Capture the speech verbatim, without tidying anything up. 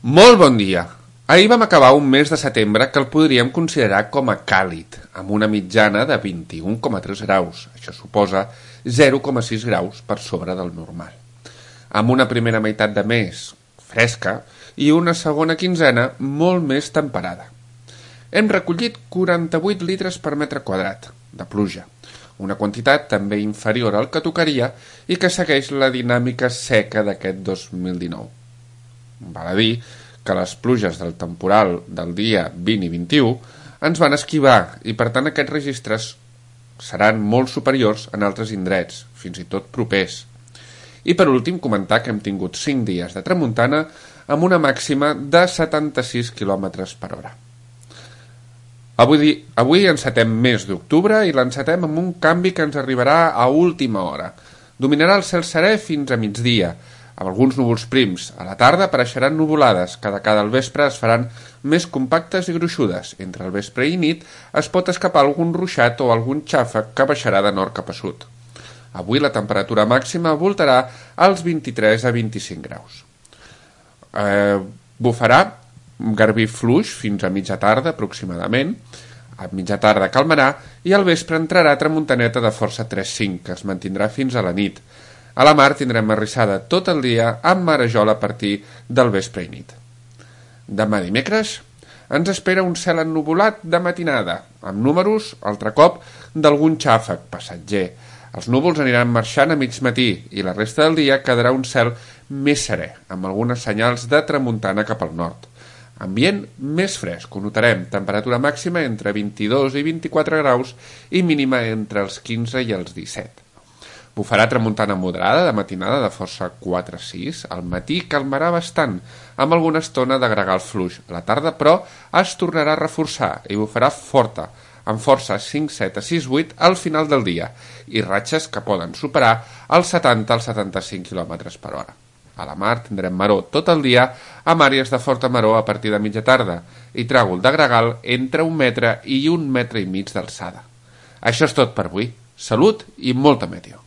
Molt bon dia! Ahir vam acabar un mes de setembre que el podríem considerar com a càlid, amb una mitjana de vint-i-un coma tres graus. Això suposa zero coma sis graus per sobre del normal. Amb una primera meitat de mes fresca i una segona quinzena molt més temperada. Hem recollit quaranta-vuit litres per metre quadrat de pluja, una quantitat també inferior al que tocaria i que segueix la dinàmica seca d'aquest dos mil dinou. Val a dir que les pluges del temporal del dia vint i vint-i-u ens van esquivar i per tant aquests registres seran molt superiors en altres indrets, fins i tot propers. I per últim comentar que hem tingut cinc dies de tramuntana amb una màxima de setanta-sis quilòmetres per hora. Avui, avui encetem mes d'octubre i l'encetem amb un canvi que ens arribarà a última hora. Dominarà el cel serè fins a migdia, amb alguns núvols prims. A la tarda apareixeran nuvolades, que de cada al vespre es faran més compactes i gruixudes. Entre el vespre i nit es pot escapar algun ruixat o algun xàfec que baixarà de nord cap a sud. Avui la temperatura màxima voltarà als vint-i-tres a vint-i-cinc graus. Eh, bufarà garbí fluix fins a mitja tarda aproximadament. A mitja tarda calmarà i al vespre entrarà tramuntaneta de força tres cinc, que es mantindrà fins a la nit. A la mar tindrem arrissada tot el dia amb marejol a partir del vespre i nit. Demà dimecres ens espera un cel ennuvolat de matinada, amb números, altre cop, d'algun xàfec passatger. Els núvols aniran marxant a mig matí i la resta del dia quedarà un cel més serè, amb algunes senyals de tramuntana cap al nord. Ambient més fresc, ho notarem, temperatura màxima entre vint-i-dos i vint-i-quatre graus i mínima entre els quinze i els disset. Bufarà tramuntana moderada de matinada de força quatre sis, al matí calmarà bastant, amb alguna estona de gregal fluix. A la tarda, però, es tornarà a reforçar i bufarà forta, amb força cinc set a sis vuit al final del dia, i ratxes que poden superar els setanta als setanta-cinc quilòmetres per hora. A la mar tindrem maror tot el dia, amb àrees de forta maror a partir de mitja tarda, i tràgol de gregal entre un metre i un metre i mig d'alçada. Això és tot per avui. Salut i molta meteo.